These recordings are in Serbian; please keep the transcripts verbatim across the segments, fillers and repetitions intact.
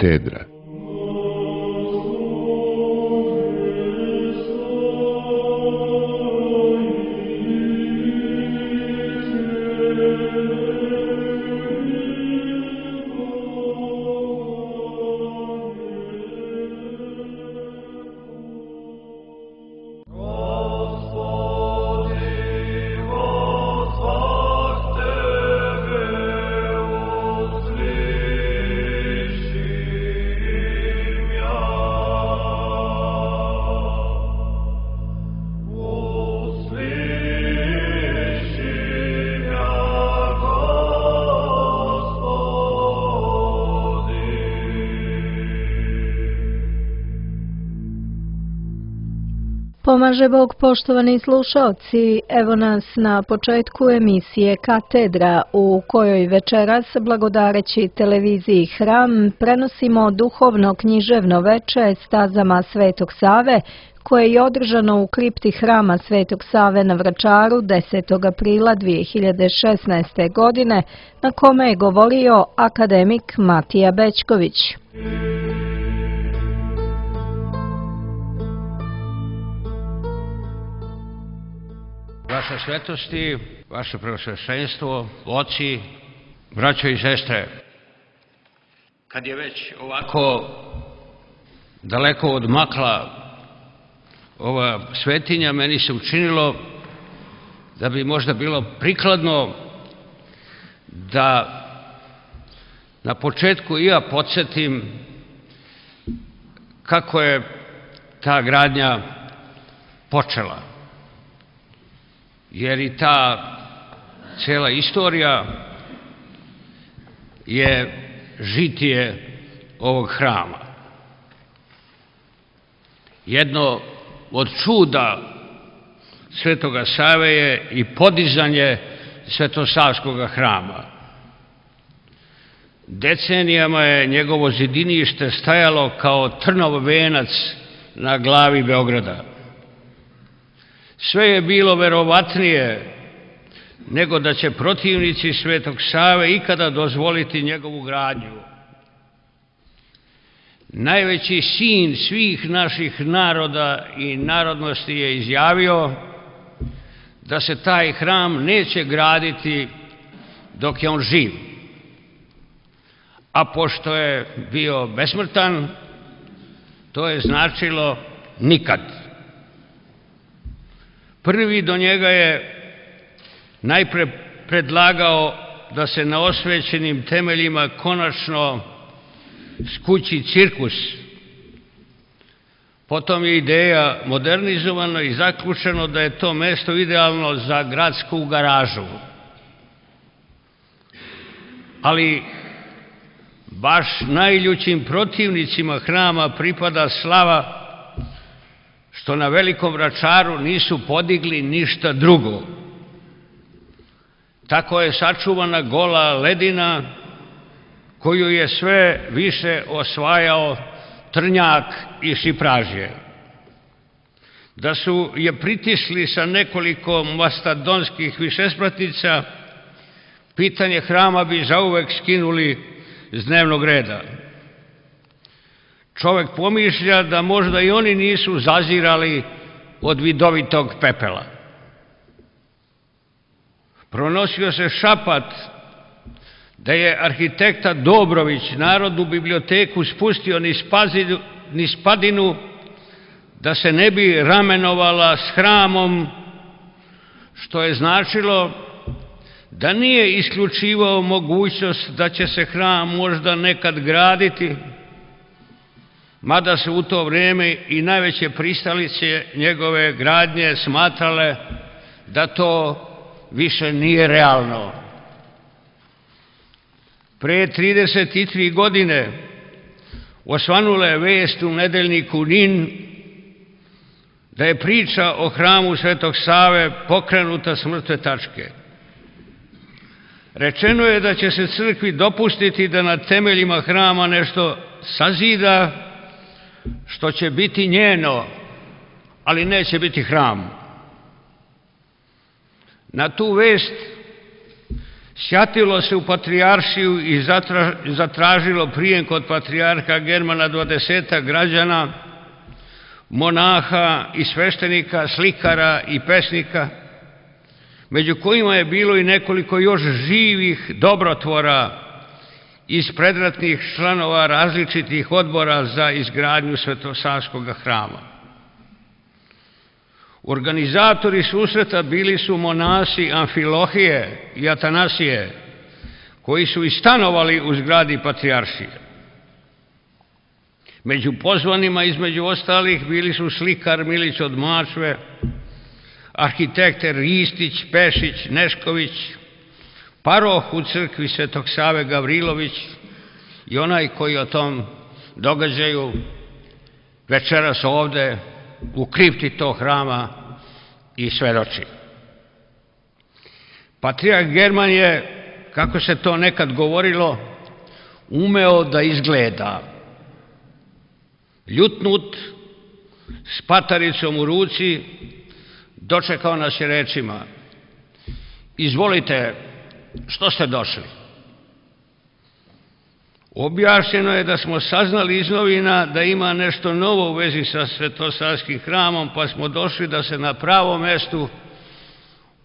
katedra. Pomaže Bog, poštovani slušaoci, evo nas na početku emisije Katedra, u kojoj večeras, blagodareći televiziji Hram, prenosimo duhovno književno veče stazama Svetog Save, koje je održano u kripti Hrama Svetog Save na Vračaru desetog aprila dvije hiljade šesnaeste. godine, na kome je govorio akademik Matija Bećković. Vaša svetosti, vaše preosveštenstvo, oci, braćo i sestre, kad je već ovako daleko odmakla ova svetinja, meni se učinilo da bi možda bilo prikladno da na početku i ja podsjetim kako je ta gradnja počela. Jer i ta cela istorija je žitije ovog hrama. Jedno od čuda Svetoga Save je i podizanje Svetosavskog hrama. Decenijama je njegovo zidinište stajalo kao trnov venac na glavi Beograda. Sve je bilo verovatnije nego da će protivnici Svetog Save ikada dozvoliti njegovu gradnju. Najveći sin svih naših naroda i narodnosti je izjavio da se taj hram neće graditi dok je on živ. A pošto je bio besmrtan, to je značilo nikad. Prvi do njega je najpre predlagao da se na osvećenim temeljima konačno skući cirkus. Potom je ideja modernizovana i zaključeno da je to mesto idealno za gradsku garažu. Ali baš najljućim protivnicima hrama pripada slava što na Velikom Vračaru nisu podigli ništa drugo. Tako je sačuvana gola ledina koju je sve više osvajao trnjak i šipražje. Da su je pritisli sa nekoliko mastodonskih višespratnica, pitanje hrama bi zauvek skinuli s dnevnog reda. Čovek pomišlja da možda i oni nisu zazirali od vidovitog pepela. Pronosio se šapat da je arhitekta Dobrović Narodnu biblioteku spustio niz padinu da se ne bi ramenovala s hramom, što je značilo da nije isključivao mogućnost da će se hram možda nekad graditi, mada su u to vrijeme i najveće pristalice njegove gradnje smatrale da to više nije realno. Pre trideset tri godine osvanula je vest u nedeljniku NIN da je priča o hramu Svetog Save pokrenuta s mrtve tačke. Rečeno je da će se crkvi dopustiti da na temeljima hrama nešto sazida, što će biti njeno, ali neće biti hram. Na tu vest sjatilo se u patrijaršiju i zatražilo prijem kod patrijarha Germana dvadesetak građana, monaha i sveštenika, slikara i pesnika, među kojima je bilo i nekoliko još živih dobrotvora iz predratnih članova različitih odbora za izgradnju Svetosavskog hrama. Organizatori susreta bili su monasi Amfilohije i Atanasije, koji su i stanovali u zgradi patrijaršije. Među pozvanima, između ostalih, bili su slikar Milić od Mačve, arhitekte Ristić, Pešić, Nešković, paroh u crkvi Svetog Save Gavrilović i onaj koji o tom događaju večeras ovde u kripti tog hrama i svedoči. Patrijarh German je, kako se to nekad govorilo, umeo da izgleda. Ljutnut, s pataricom u ruci, dočekao nas je rečima: izvolite, što ste došli? Objašnjeno je da smo saznali iz novina da ima nešto novo u vezi sa Svetosavskim hramom, pa smo došli da se na pravom mestu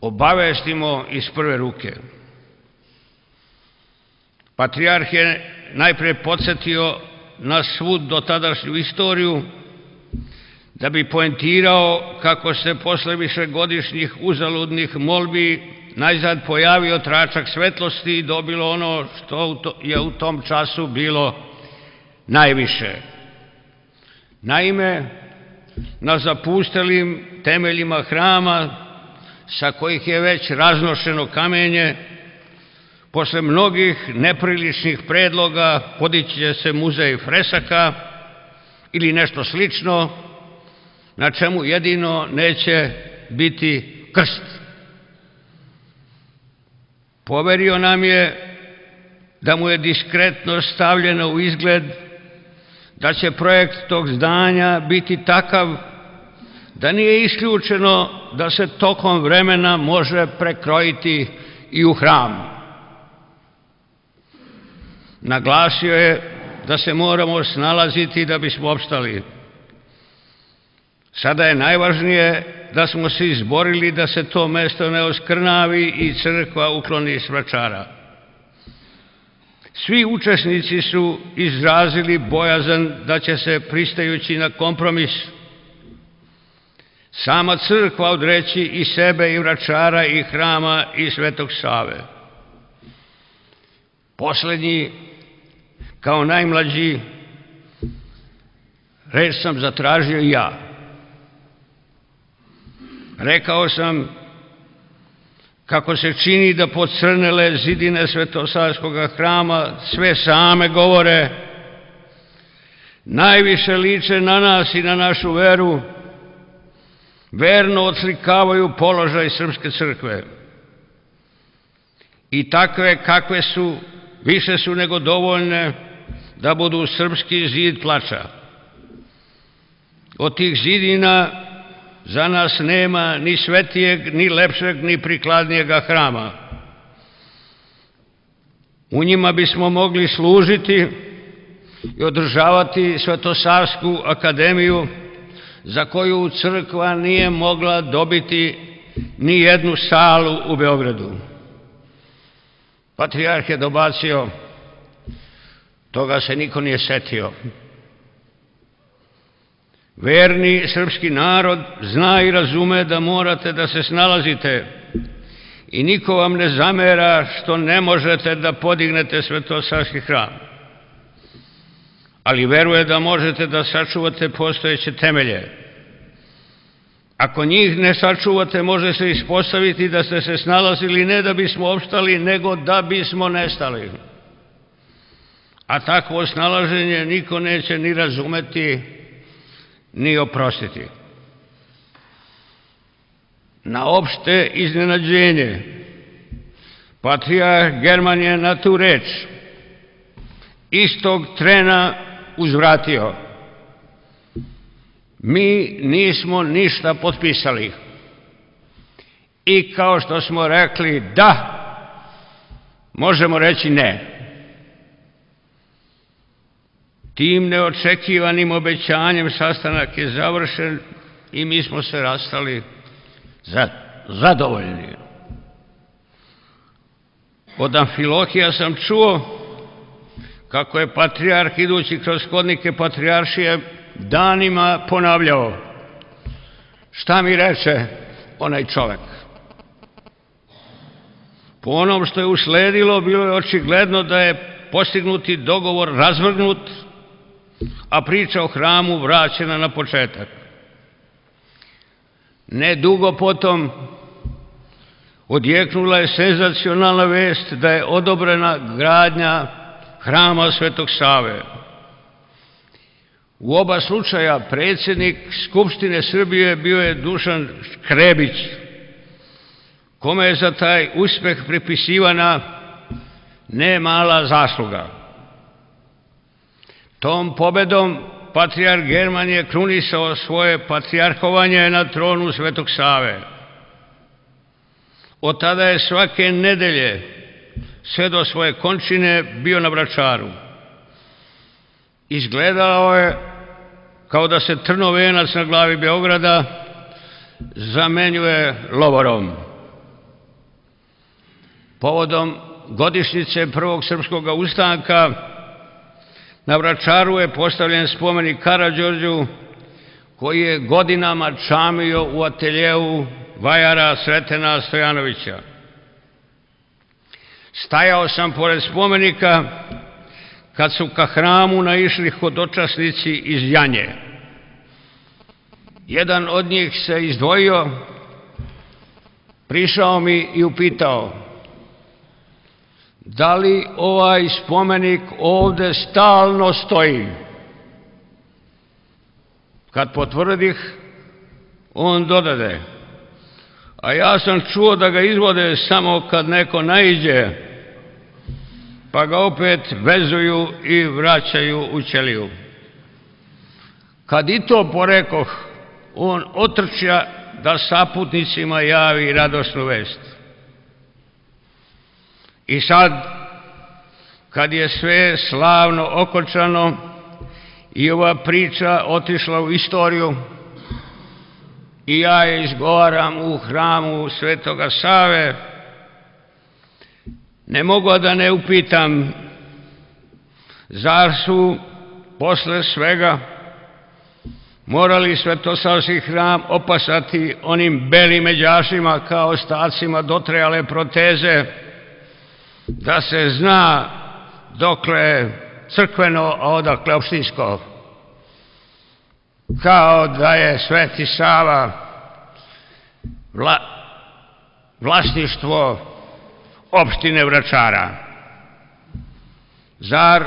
obavestimo iz prve ruke. Patrijarh je najpre podsjetio na svu dotadašnju istoriju, da bi poentirao kako se posle višegodišnjih uzaludnih molbi najzad pojavio tračak svetlosti i dobilo ono što je u tom času bilo najviše. Naime, na zapustelim temeljima hrama, sa kojih je već raznošeno kamenje, posle mnogih nepriličnih predloga podići će se muzej fresaka ili nešto slično, na čemu jedino neće biti krst. Poverio nam je da mu je diskretno stavljeno u izgled da će projekt tog zdanja biti takav da nije isključeno da se tokom vremena može prekrojiti i u hram. Naglasio je da se moramo snalaziti da bismo opstali. Sada je najvažnije da smo se izborili da se to mesto ne oskrnavi i crkva ukloni s Vračara. Svi učesnici su izrazili bojazan da će se, pristajući na kompromis, sama crkva odreći i sebe i Vračara i hrama i Svetog Save. Poslednji, kao najmlađi, reč sam zatražio i ja. Rekao sam kako se čini da pocrnele zidine Svetosavskog hrama sve same govore, najviše liče na nas i na našu veru, verno odslikavaju položaj srpske crkve. I takve kakve su, više su nego dovoljne da budu srpski zid plača. Od tih zidina za nas nema ni svetijeg, ni lepšeg, ni prikladnijega hrama. U njima bismo mogli služiti i održavati Svetosavsku akademiju, za koju crkva nije mogla dobiti ni jednu salu u Beogradu. Patrijarh je dobacio: toga se niko nije setio. Verni srpski narod zna i razume da morate da se snalazite i niko vam ne zamera što ne možete da podignete Svetosavski hram, ali veruje da možete da sačuvate postojeće temelje. Ako njih ne sačuvate, može se ispostaviti da ste se snalazili ne da bismo opstali, nego da bismo nestali. A takvo snalaženje niko neće ni razumeti, ni oprostiti. Na opšte iznenađenje, patrijarh German je na tu reč istog trena uzvratio: mi nismo ništa potpisali. I kao što smo rekli da, možemo reći ne. Tim neočekivanim obećanjem sastanak je završen i mi smo se rastali zadovoljni. Od Amfilohija sam čuo kako je patrijarh idući kroz hodnike patrijaršije danima ponavljao: šta mi reče onaj čovek? Po onom što je usledilo, bilo je očigledno da je postignuti dogovor razvrgnut, a priča o hramu vraćena na početak. Ne dugo potom odjeknula je senzacionalna vest da je odobrena gradnja hrama Svetog Save. U oba slučaja predsjednik Skupštine Srbije bio je Dušan Škrebić, kome je za taj uspeh pripisivana ne mala zasluga. Tom pobedom patrijarh German je krunisao svoje patrijarhovanje na tronu Svetog Save. Od tada je svake nedelje sve do svoje končine bio na Vračaru. Izgledalo je kao da se trnovenac na glavi Beograda zamenjuje lovorom. Povodom godišnjice prvog srpskog ustanka na Vračaru je postavljen spomenik Karađorđu, koji je godinama čamio u ateljeu vajara Sretena Stojanovića. Stajao sam pored spomenika kad su ka hramu naišli hodočasnici iz Janje. Jedan od njih se izdvojio, prišao mi i upitao: da li ovaj spomenik ovde stalno stoji? Kad potvrdih, on dodade: a ja sam čuo da ga izvode samo kad neko naiđe, pa ga opet vezuju i vraćaju u ćeliju. Kad i to porekoh, on otrča da saputnicima javi radosnu vest. I sad, kad je sve slavno okončano i ova priča otišla u istoriju i ja je izgovaram u hramu Svetoga Save, ne mogu da ne upitam: zar su posle svega morali Svetosavski hram opasati onim belim međašima kao ostacima dotrajale proteze, da se zna dokle crkveno, a odakle opštinsko, kao da je Sveti Sava vla, vlasništvo opštine Vračara? Zar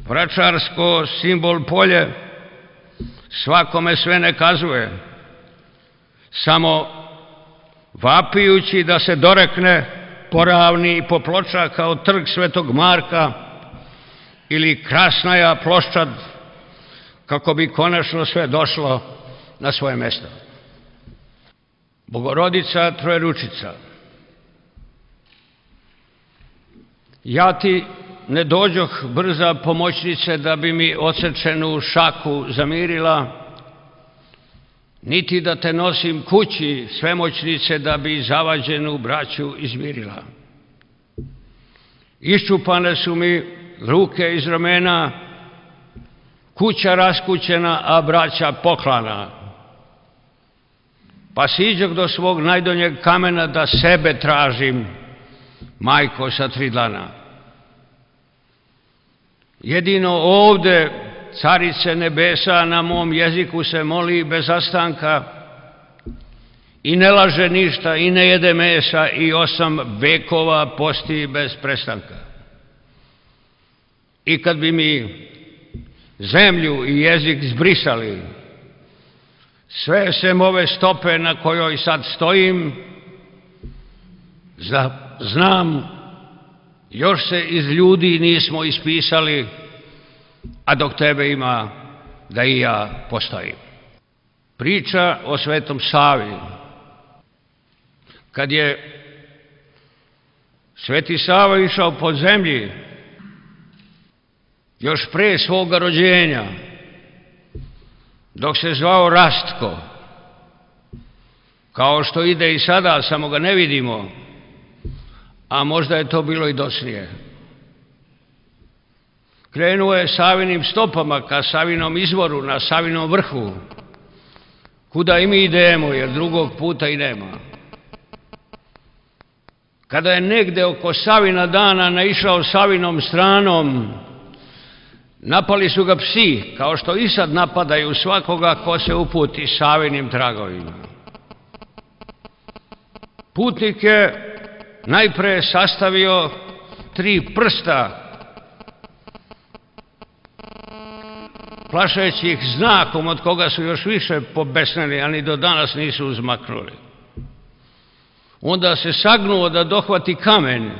vračarsko simbol polje svakome sve ne kazuje, samo vapijući da se dorekne poravni i poploča kao trg Svetog Marka ili Krasnaja ploščad, kako bi konačno sve došlo na svoje mesto? Bogorodica Trojeručica, ja ti ne dođoh brza pomoćnice da bi mi odsečenu šaku zamirila, niti da te nosim kući svemoćnice da bi zavađenu braću izmirila. Iščupane su mi ruke iz ramena, kuća raskućena, a braća poklana. Pa siđoh do svog najdonjeg kamena da sebe tražim, majko sa tri dlana. Jedino ovde Carice nebesa na mom jeziku se moli bez zastanka i ne laže ništa i ne jede mesa i osam vekova posti bez prestanka. I kad bi mi zemlju i jezik zbrisali, sve sem ove stope na kojoj sad stojim, znam, još se iz ljudi nismo ispisali, a dok tebe ima, da i ja postojim. Priča o Svetom Savi. Kad je Sveti Sava išao po zemlji još pre svoga rođenja, dok se zvao Rastko, kao što ide i sada, samo ga ne vidimo, a možda je to bilo i dosnije. Krenuo je Savinim stopama ka Savinom izvoru, na Savinom vrhu, kuda i mi idemo, jer drugog puta i nema. Kada je negde oko Savina dana naišao Savinom stranom, napali su ga psi, kao što i sad napadaju svakoga ko se uputi Savinim tragovima. Putnik je najpre sastavio tri prsta, plašeći ih znakom od koga su još više pobesneli, a ni do danas nisu uzmaknuli. Onda se sagnuo da dohvati kamen,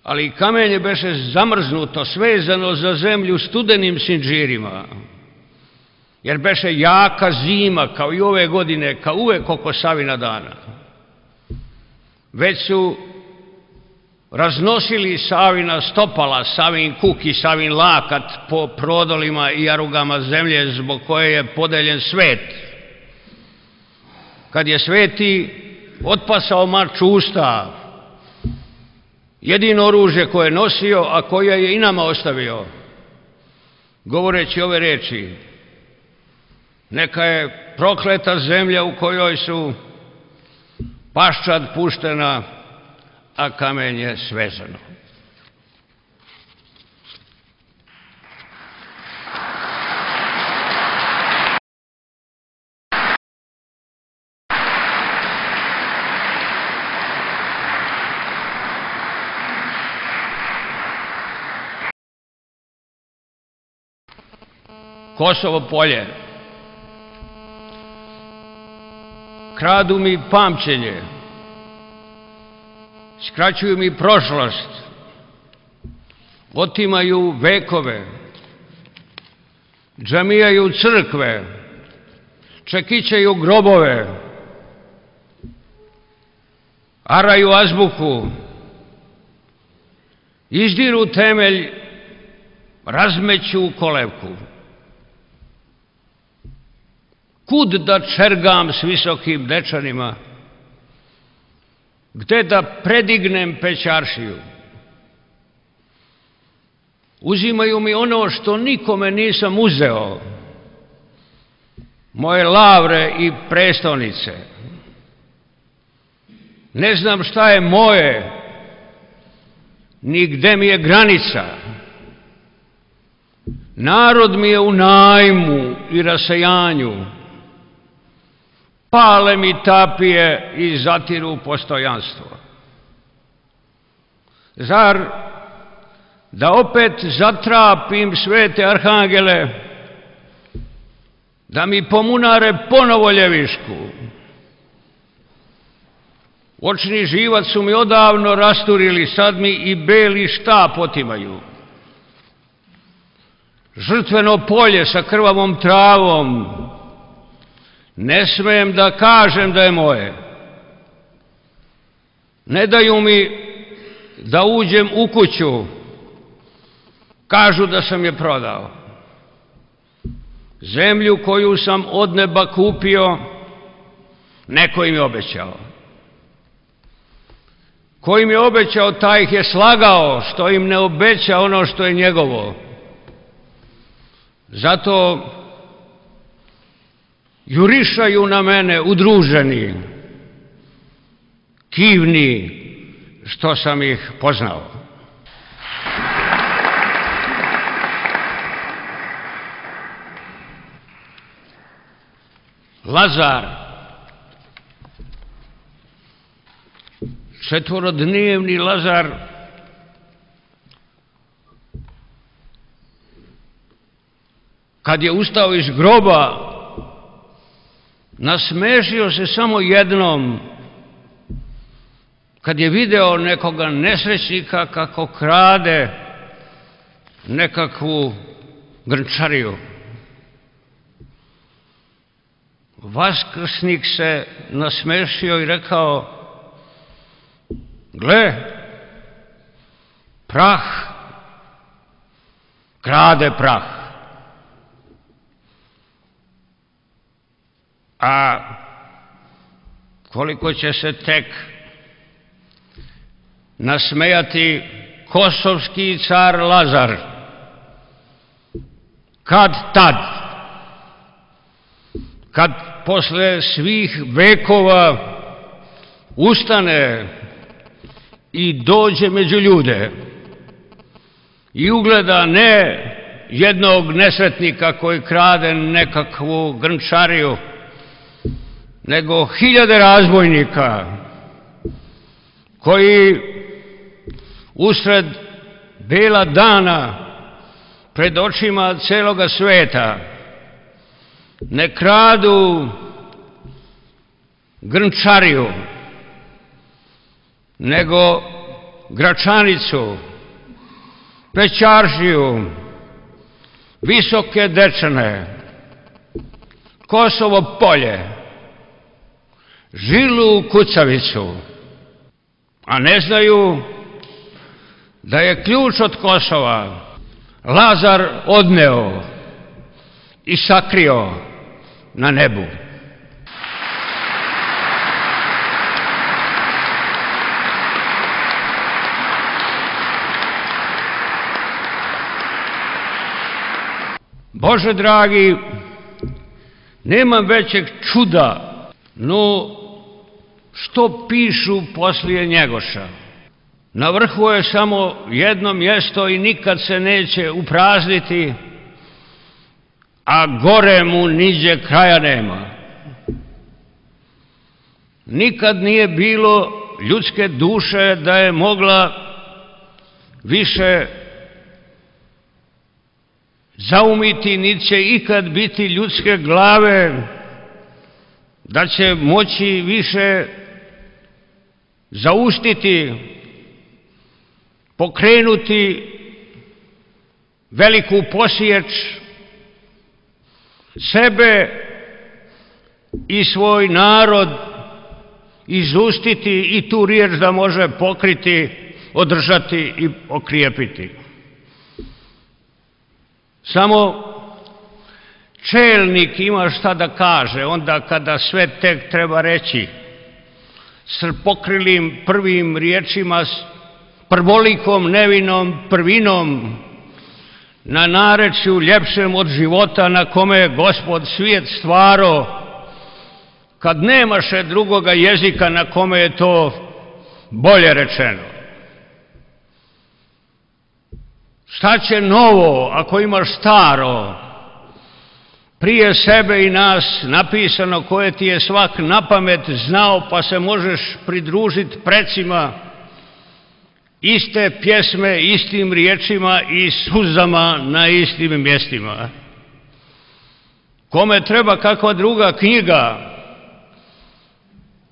ali kamenje beše zamrznuto, svezano za zemlju studenim sinđirima, jer beše jaka zima, kao i ove godine, kao uvek oko Savina dana. Već su raznosili Savina stopala, Savin kuk i Savin lakat po prodolima i jarugama zemlje zbog koje je podeljen svet. Kad je Sveti otpasao mač usta, jedino oružje koje je nosio, a koje je i nama ostavio, govoreći ove reči: neka je prokleta zemlja u kojoj su paščad puštena, a kamenje svezano. Kosovo polje. Kradu mi pamćenje, skraćuju mi prošlost, otimaju vekove, džamijaju crkve, čekićaju grobove, araju azbuku, izdiru temelj, razmeću kolevku. Kud da čergam s visokim dečanima, gde da predignem pećaršiju? Uzimaju mi ono što nikome nisam uzeo, moje lavre i prestonice. Ne znam šta je moje, ni gde mi je granica. Narod mi je u najmu i rasejanju, pale mi tapije i zatiru postojanstvo. Zar da opet zatrapim svete arhangele, da mi pomunare ponovo ljevišku? Očni živac su mi odavno rasturili, sad mi i beli štap otimaju. Žrtveno polje sa krvavom travom, ne smijem da kažem da je moje. Ne daju mi da uđem u kuću, kažu da sam je prodao. Zemlju koju sam od neba kupio, neko im je obećao. Ko im je obećao, taj ih je slagao, što im ne obeća ono što je njegovo. Zato jurišaju na mene udruženi, kivni, što sam ih poznao. Lazar, četvorodnevni Lazar, kad je ustao iz groba, nasmešio se samo jednom, kad je video nekoga nesrećnika kako krade nekakvu grnčariju. Vaskrsnik se nasmešio i rekao: Gle, prah, krade prah. A koliko će se tek nasmejati kosovski car Lazar, kad tad, kad posle svih vekova ustane i dođe među ljude i ugleda ne jednog nesretnika koji krade nekakvu grnčariju, nego hiljade razbojnika koji usred bela dana pred očima celoga sveta ne kradu grnčariju, nego Gračanicu, Pećaržiju, Visoke Dečane, Kosovo Polje, Žilu Kucavicu, a ne znaju da je ključ od Kosova Lazar odneo i sakrio na nebu. Bože dragi, nema većeg čuda, no što pišu poslije Njegoša. Na vrhu je samo jedno mjesto i nikad se neće uprazniti, a gore mu niđe kraja nema. Nikad nije bilo ljudske duše da je mogla više zaumiti, niti će ikad biti ljudske glave da će moći više zaustiti, pokrenuti veliku posječ, sebe i svoj narod izustiti i tu riječ da može pokriti, održati i okrijepiti. Samo čelnik ima šta da kaže onda kada sve tek treba reći s pokrilim prvim riječima, s prvolikom nevinom prvinom, na narečju ljepšem od života na kome je Gospod svijet stvaro, kad nemaše drugoga jezika na kome je to bolje rečeno. Šta će novo ako imaš staro prije sebe i nas napisano koje ti je svak na pamet znao, pa se možeš pridružiti precima iste pjesme, istim riječima i suzama na istim mjestima. Kome treba kakva druga knjiga,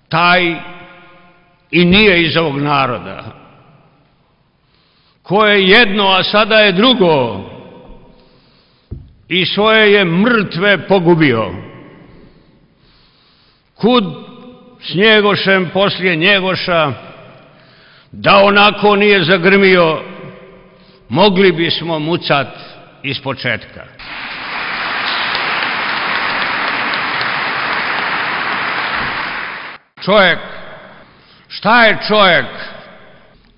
taj i nije iz ovog naroda. Ko je jedno, a sada je drugo, i svoje je mrtve pogubio. Kud s Njegošem poslije Njegoša, da onako nije zagrmio, mogli bismo mucat iz početka. Čovjek, šta je čovjek,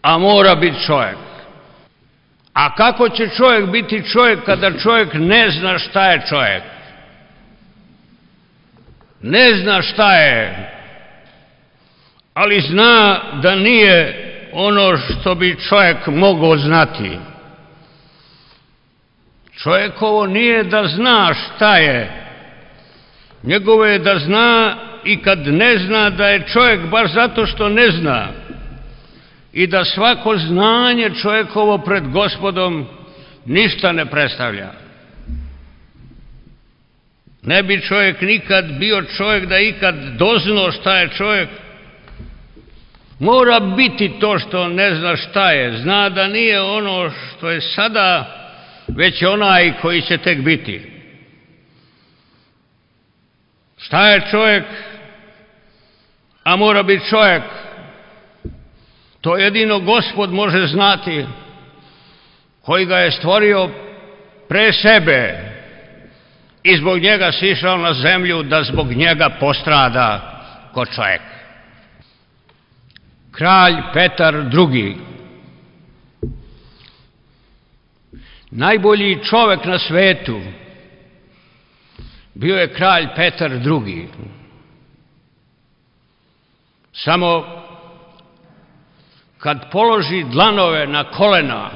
a mora biti čovjek? A kako će čovjek biti čovjek kada čovjek ne zna šta je čovjek? Ne zna šta je, ali zna da nije ono što bi čovjek mogao znati. Čovjekovo nije da zna šta je, njegovo je da zna i kad ne zna da je čovjek baš zato što ne zna, i da svako znanje čovjekovo pred Gospodom ništa ne predstavlja. Ne bi čovjek nikad bio čovjek da ikad doznao šta je čovjek. Mora biti to što ne zna šta je. Zna da nije ono što je sada, već onaj koji će tek biti. Šta je čovjek, a mora biti čovjek? To jedino Gospod može znati, koji ga je stvorio pre sebe i zbog njega sišao na zemlju da zbog njega postrada ko čovjek. Kralj Petar drugi, najbolji čovjek na svetu, bio je kralj Petar drugi. Samo kad položi dlanove na kolena,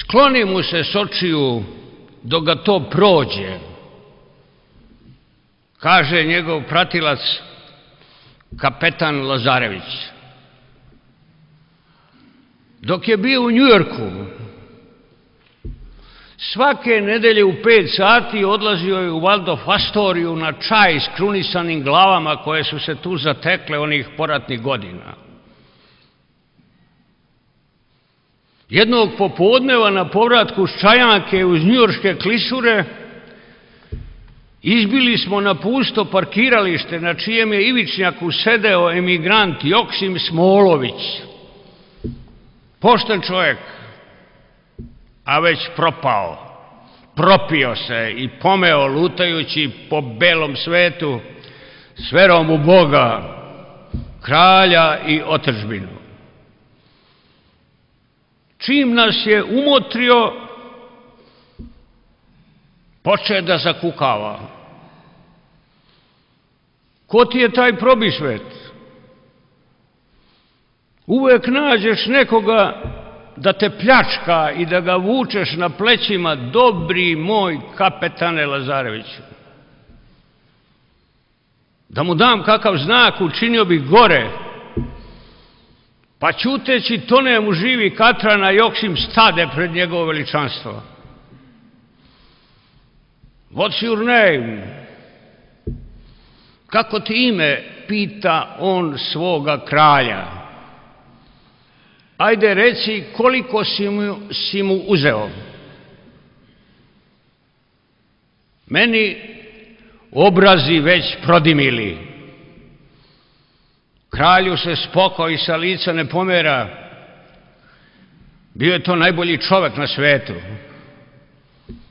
skloni mu se s očiju dok ga to prođe, kaže njegov pratilac kapetan Lazarević. Dok je bio u Njujorku, svake nedelje u pet sati odlazio je u Waldorf Astoriju na čaj s krunisanim glavama koje su se tu zatekle onih poratnih godina. Jednog popodneva na povratku s Čajanke uz njujorške klisure izbili smo na pusto parkiralište na čijem je ivičnjaku sedeo emigrant Joksim Smolović. Pošten čovjek, a već propao, propio se i pomeo lutajući po belom svetu s verom u Boga, kralja i otadžbinu. Čim nas je umotrio, poče da zakukava. Ko ti je taj probisvet? Uvek nađeš nekoga da te pljačka i da ga vučeš na plećima, dobri moj kapetane Lazareviću. Da mu dam kakav znak, učinio bih gore, pa ćuteći tone mu živi Katrana Joksim stade pred njegovo veličanstvo. What's your name? Kako ti ime? Pita on svoga kralja. Ajde reci koliko si mu, si mu uzeo. Meni obrazi već prodimili. Kralju se spoko i sa lica ne pomera. Bio je to najbolji čovjek na svetu.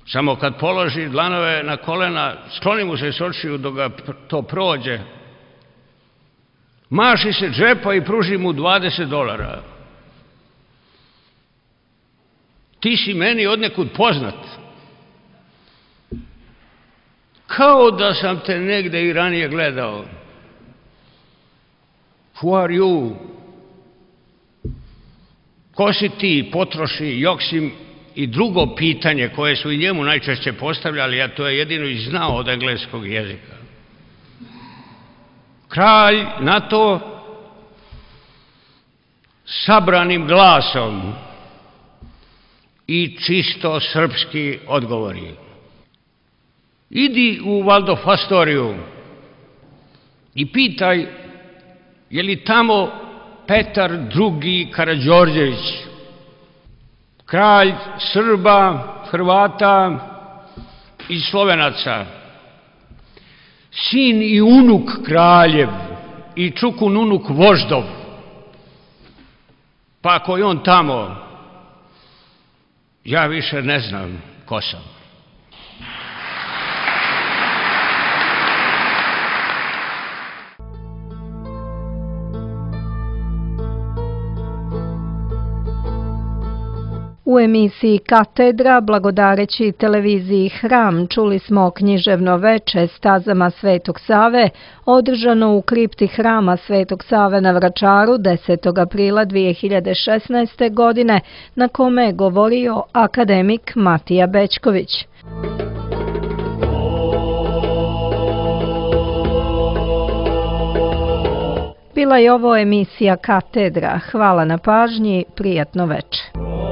Samo kad položi dlanove na kolena, skloni mu se s očiju dok ga to prođe. Maši se džepa i pruži mu dvadeset dolara. Ti si meni odnekud poznat. Kao da sam te negde i ranije gledao. Who are you? Ko si ti? Potroši Joksim i drugo pitanje koje su i njemu najčešće postavljali, a to je jedino i znao od engleskog jezika. Kralj na to sabranim glasom i čisto srpski odgovori. Idi u Waldorf Astoriju i pitaj je li tamo Petar drugi Karađorđević, kralj Srba, Hrvata i Slovenaca, sin i unuk kraljev i čukun unuk voždov. Pa ako je on tamo, ja više ne znam ko sam. U emisiji Katedra, blagodareći televiziji Hram, čuli smo književno veče Stazama Svetog Save, održano u kripti Hrama Svetog Save na Vračaru desetog aprila dvije hiljade šesnaeste. godine, na kome je govorio akademik Matija Bećković. Bila je ovo emisija Katedra. Hvala na pažnji, prijatno veče.